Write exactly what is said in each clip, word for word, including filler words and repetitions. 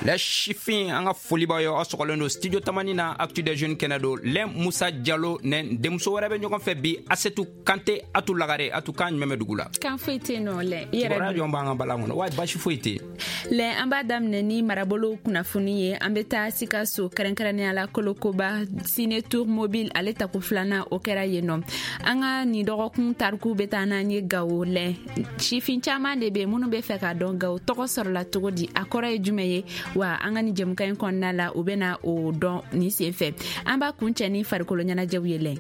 Les sifin, an ka foli b'aw ye. Aw sɔgɔlen don Studio Tamani na, Actu des Jeunes kɛnɛ don. Lɛn Musa Jalo nɛ denmuso wɛrɛ bɛ ɲɔgɔn fɛ bi, Asetu Kante. Atu Lagare, Atu, kan jumɛn bɛ dugu la? Kan foyi tɛ yen nɔ, lɛ i yɛrɛ. Kibaruya jɔn b'an ka balan kɔnɔ wa? Basi foyi tɛ yen. Lɛ, an b'a daminɛ ni marabolo kunnafoni ye. An bɛ taa Sikaso, kɛrɛnkɛrɛnnenya la Kolokoba. Ciné Tour Mobile, ale tako filanan, o kɛra yen nɔ. An ka nin dɔgɔkun tariku bɛ taa n'an ye Gawo. Lɛ, sifin caman de bɛ yen minnu bɛ fɛ k'a dɔn Gawo tɔgɔ sɔrɔla cogo di, a kɔrɔ ye jumɛn ye. Wa an ka nin jɛmukan in kɔnɔna la, u bɛna o dɔn nin sen fɛ. An b'a kuncɛ ni farikolo ɲɛnajɛw ye, lɛ.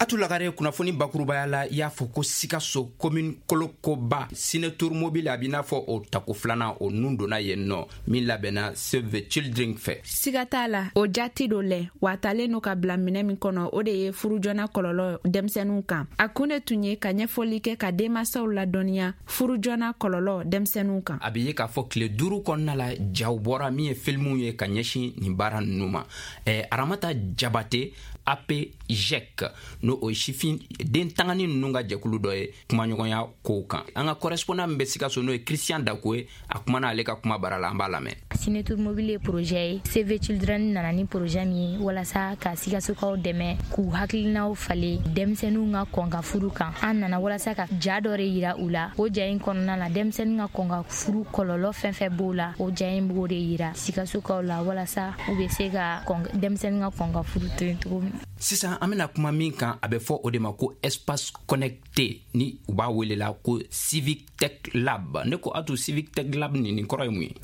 Atu Lagare, kunnafoni bakurubaya la, i y'a fɔ ko Sikaso, commune Kolokoba, Ciné Tour Mobile, a b'i n'a fɔ o tako filanan o nun donna yen nɔ, min labɛnna Save the Children fɛ. Siga t'a la, o jati do lɛ, wa talen no ka bila minɛ min kɔnɔ, o de ye furujɔna kɔlɔlɔ denmisɛnninw kan. A kun de tun ye ka ɲɛfɔli kɛ, ka denmasaw ladɔnniya furujɔna kɔlɔlɔ denmisɛnninw kan. A bɛ ye k'a fɔ tile duuru kɔnɔna la, jaw bɔra min ye filimuw ye ka ɲɛsin nin baara ninnu ma. eh, aramata Jabate, A P J E C, n'o o ye sifin den tangani ninnu ka jɛkulu dɔ ye, kumaɲɔgɔnya kow kan. An ka correspondant min bɛ Sikaso, n'o ye Christian Dako ye, a kumana ale ka kuma bara la, an b'a lamɛn. Ciné Tour Mobile ye projet ye, Save Children nana ni projet min ye walasa ka Sikasokaw dɛmɛ k'u hakilinaw falen denmisɛnninw ka kɔn ka furu kan. An nana walasa ka ja dɔ de yira u la. O ja in kɔnɔna la, denmisɛnnin ka kɔn ka furu kɔlɔlɔ fɛn fɛn b'o la, o ja in b'o de yira Sikasokaw la, walasa u bɛ se ka denmisɛnnin ka kɔn ka furu to yen cogo min. Sisan, an bena kuma min kan, a bɛ fɔ o de ma ko espace connecté, ni u b'a welela ko Civic Tech Lab. Ne ko Atu, Civic Tech Lab nin nin kɔrɔ ye mun ye?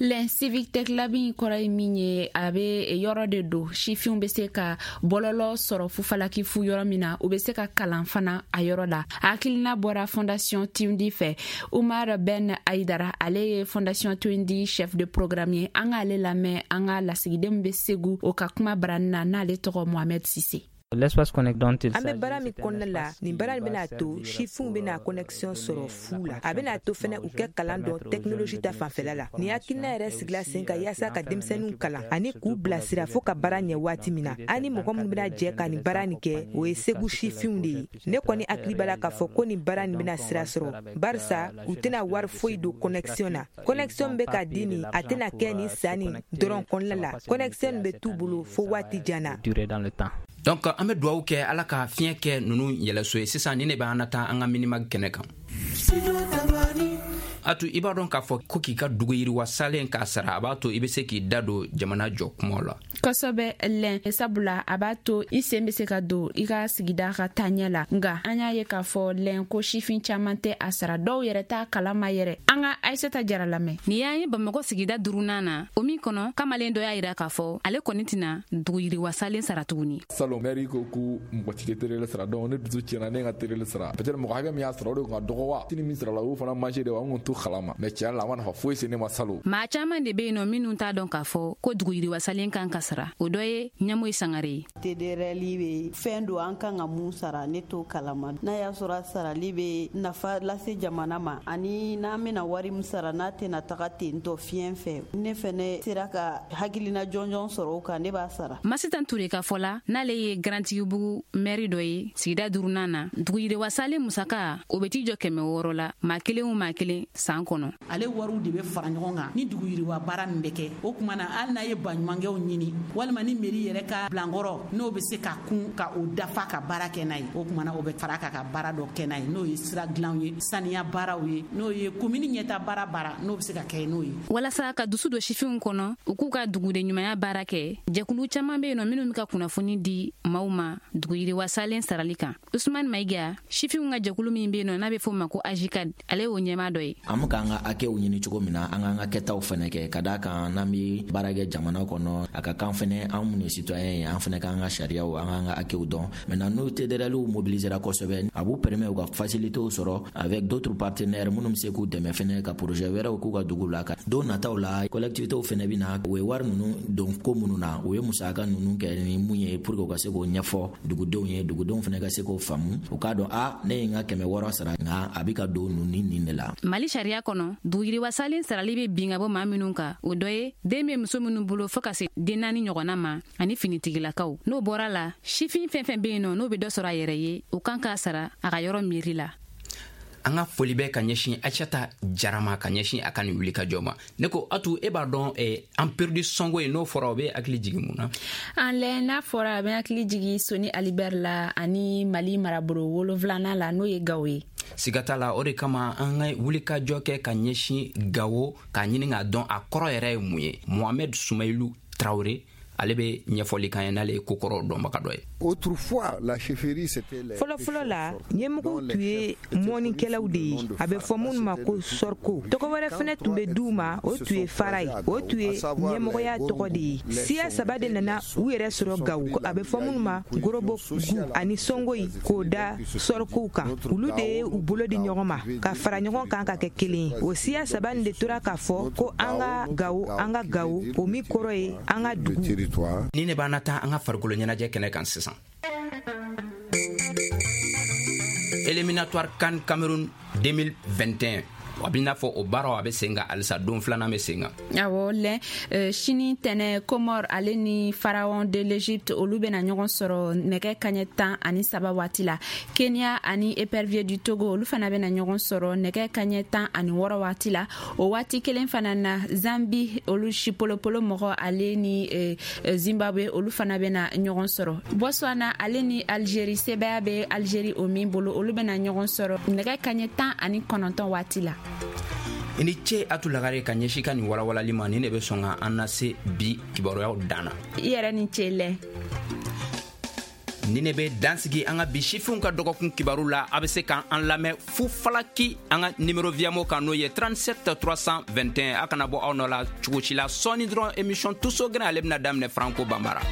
Lɛn, Civic Tech Lab in kɔrɔ ye min ye, a bɛ yɔrɔ de don sifinw bɛ se ka bɔlɔlɔ sɔrɔ fufalaki fu yɔrɔ min na, u bɛ se ka kalan fana a yɔrɔ la. A hakilina bɔra Fondation Tundi fɛ. Umar Ben Aidara, ale ye Fondation Tundi chef de programme ye. An k'ale lamɛn an ka lasigiden bɛ Segu, o ka kuma barani na, n'ale tɔgɔ Mohamed Sise. L'espace connect dont il An bɛ baara min kɔnɔna la, nin baara nin bɛna to sifinw bɛna connexion sɔrɔ fu la. A bɛna to fɛnɛ u kɛ kalan dɔn technologie ta fanfɛla la. Nin hakilina yɛrɛ sigila sen kan yaasa ka denmisɛnninw kalan ani k'u bilasira fɔɔ ka baara ɲɛ waati min na. An ni mɔgɔ minnu bɛna jɛ ka nin baara nin kɛ, o ye Segu sifinw de ye. Ne kɔni hakili b'a la k'a fɔ ko nin baara nin bɛna sira sɔrɔ, barisa u tɛna wari foyi don connexion na. Connexion bɛ ka di nin, a tɛna kɛ nin san nin dɔrɔn kɔnɔna la. Connexion bɛ t'u bolo fo waati jan na. Durer dans le temps. Donc an bɛ duwawu kɛ, Ala ka fiɲɛ kɛ ninnu yɛlɛso ye. Sisan ni ne bɛ an na taa an ka Minimag kɛnɛ kan. Atu, i b'a dɔn k'a fɔ ko k'i ka dugu yiriwa salen k'a sara, a b'a to i be se k'i da don jamana jɔ kumaw la. Kosɛbɛ lɛn, sabula a b'a to i sen be se ka don i ka sigida ka taaɲɛ la. Nga an y'a ye k'a fɔ lɛn ko sifin caaman tɛ a sara, dɔw yɛrɛ t'a kalama yɛrɛ. An ka Ayisata Jara lamɛn. Nin y'an ye Bamakɔ sigida duurunan na, o min kɔnɔ kamalen dɔ y'a yira k'a fɔ ale kɔni tɛna dugu yiriwasalen sara tuguni. Salon, mairie ko ko mɔgɔ ti T D R L sara, donc ne dusu tiɲɛna, ne ka T D R L sara. Peut-être mɔgɔ hakɛ min y'a sara, o de kun ka dɔgɔ wa tini min sara la, o fana marché de wa, an kun t'o kalama, mais tiɲɛ la, a ma nafa foyi se ne ma salon. Maa caaman de be yen nɔ minnu t'a dɔn k'a fɔ ko dugu yiriwasalen kan ka sara. O dɔ ye Ɲamoyi Sangare ye. T D R L bɛ fɛn don an kan ka mun sara, ne t'o kalama. N'a y'a sɔrɔ a sarali bɛ nafa lase jamana ma, ani n'an bɛna wari min sara, n'a tɛna taga ten tɔ fiɲɛ fɛ, ne fɛnɛ sera ka hakilina jɔnjɔn sɔrɔ o kan, ne b'a sara. Masitan Ture ka fɔ la, n'ale ye Garantigibugu mɛri dɔ ye sigida duurunan na, dugu yiriwasalen musaka, o bɛ t'i jɔ kɛmɛ wɔɔrɔ la maa kelen o maa kelen san kɔnɔ. Ale wariw de bɛ fara ɲɔgɔn kan ni dugu yiriwa baara min bɛ kɛ. O tuma na, hali n'a ye baɲumankɛw ɲini walima ni mairie yɛrɛ ka bilankɔrɔ, n'o bɛ se ka kun ka o dafa ka baara kɛ n'a ye, o tuma na o bɛ fara ka ka baara dɔ kɛ n'a ye, n'o ye sira dilanw ye, saniya baaraw ye, n'o ye komini ɲɛta baara baara n'o bɛ se ka kɛ n'o ye. Walasa ka dusu don sifinw kɔnɔ u k'u ka duguden ɲumanya baara kɛ, jɛkulu caman bɛ yen nɔ minnu bɛ ka kunnafoni di maaw ma dugu yiriwasalen sarali kan. Usman Mayiga, sifinw ka jɛkulu min bɛ yen nɔ n'a bɛ f'o ma ko AJCAD, ale y'o ɲɛmaa dɔ ye. An bɛ k'an ka hakɛw ɲini cogo min na, an k'an ka kɛtaw fɛnɛ kɛ, ka d'a kan n'an bɛ baara kɛ jamana kɔnɔ, a ka kan fɛnɛ an minnu ye citoyen ye, an fɛnɛ k'an ka sariyaw, an k'an ka hakɛw dɔn. Maintenant, n'o T D R L mobilisera kosɛbɛ, a b'u permet u ka facilités sɔrɔ avec d'autres partenaires minnu bɛ se k'u dɛmɛ fɛnɛ ka projet wɛrɛw k'u ka dugu la. Ka don nataw la, collectivités fɛnɛ bɛ na, u ye wari ninnu don ko minnu na, u ye musaka ninnu kɛ ni mun ye, pour que u ka se k'o ɲɛfɔ dugudenw ye, dugudenw fɛnɛ ka se k'o faamu, u k'a dɔn a ne ye n ka kɛmɛ wɔɔrɔ sara, nka a bɛ ka don ninnu ni nin de la. Mali sariya kɔnɔ, duguyiriwasalen sarali bɛ bin ka bɔ maa minnu kan, o dɔ ye den bɛ muso minnu bolo fɔɔ ka se den naani ɲɔgɔnna ma, ani finitigilakaw. N'o bɔra la, sifin fɛn fɛn bɛ yen nɔ n'o bɛ dɔ sɔrɔ a yɛrɛ ye, o kan k'a sara a ka yɔrɔ miiri la. An ka foli bɛ ka ɲɛsin Aïssata Jara ma ka ɲɛsin a ka nin wulikajɔ ma. Ne ko Atu, e b'a dɔn eh, empire du Songo ye, n'o fɔra o bɛ hakili jigin mun na? An lɛ, n'a fɔra a bɛ hakili jigin Soni Alibert la ani Mali marabolo wolonfilanan la, n'o ye Gawo ye. Siga t'a la, o de kama an ka wulikajɔ kɛ ka ɲɛsin Gawo k'a ɲini k'a dɔn a kɔrɔ yɛrɛ ye mun ye. Mohamed Soumaïlou Traoré, ale bɛ ɲɛfɔli kan ye, n'ale ye kokɔrɔw dɔnbaga dɔ ye. Autrefois, la chefferie, c'était les Fɔlɔfɔlɔ la, ɲɛmɔgɔw tun ye mɔnikɛlaw de ye, a bɛ fɔ minnu ma ko sɔriko. Tɔgɔ wɛrɛ fɛnɛ tun bɛ d'u ma, o tun ye fara ye, o tun ye ɲɛmɔgɔya tɔgɔ de ye. Siya saba de nana u yɛrɛ sɔrɔ Gawo, a bɛ fɔ minnu ma Gorobo, Gu ani Songoyi, k'o da sɔrikow kan. Olu de ye u bolo di ɲɔgɔn ma ka fara ɲɔgɔn kan ka kɛ kelen ye. O siya saba nin de tora k'a fɔ ko an ka Gawo, an ka Gawo, o min kɔrɔ ye an ka dugu. Ni ne b'an na taa an ka farikolo ɲɛnajɛ kɛnɛ kan sisan, éliminatoire CAN Cameroun deux mille vingt et un, a b'i n'a fɔ o baaraw a bɛ sen kan halisa, don filanan bɛ sen kan. Awɔ lɛ, uh, sini tɛnɛ, Comore ale ni Pharaon de l'Égypte, olu bɛna ɲɔgɔn sɔrɔ nɛgɛ kaɲɛ tan ani saba waati la. Kenya ani Épervier du Togo, olu fana bɛna ɲɔgɔn sɔrɔ nɛgɛ kaɲɛ tan ani wɔɔrɔ waati la. O waati kelen fana na, Zambi, olu Chipolopolo mɔgɔ, ale ni uh, Zimbabwe, olu fana bɛna ɲɔgɔn sɔrɔ. Botswana ale ni Algérie, sebaya bɛ Algérie o min bolo, olu bɛna ɲɔgɔn sɔrɔ nɛgɛ kaɲɛ tan ani kɔnɔntɔn waati la. I ni ce Atu Lagare ka ɲɛsin ka nin walawalali ma. Nin de bɛ sɔn ka an lase bi kibaruyaw dan na. I yɛrɛ ni ce lɛ. Ni ne bɛ dansigi an ka bi sifinw ka dɔgɔkun kibaru la. A bɛ se k'an lamɛn fu falaki an ka numéro Viamo kan, n'o ye trente-sept trois cent vingt et un. A kana bɔ aw nɔ la cogo si la. Sɔɔni dɔrɔn, émission Tuso Gɛrɛ, ale bɛna daminɛ Franco Banbara.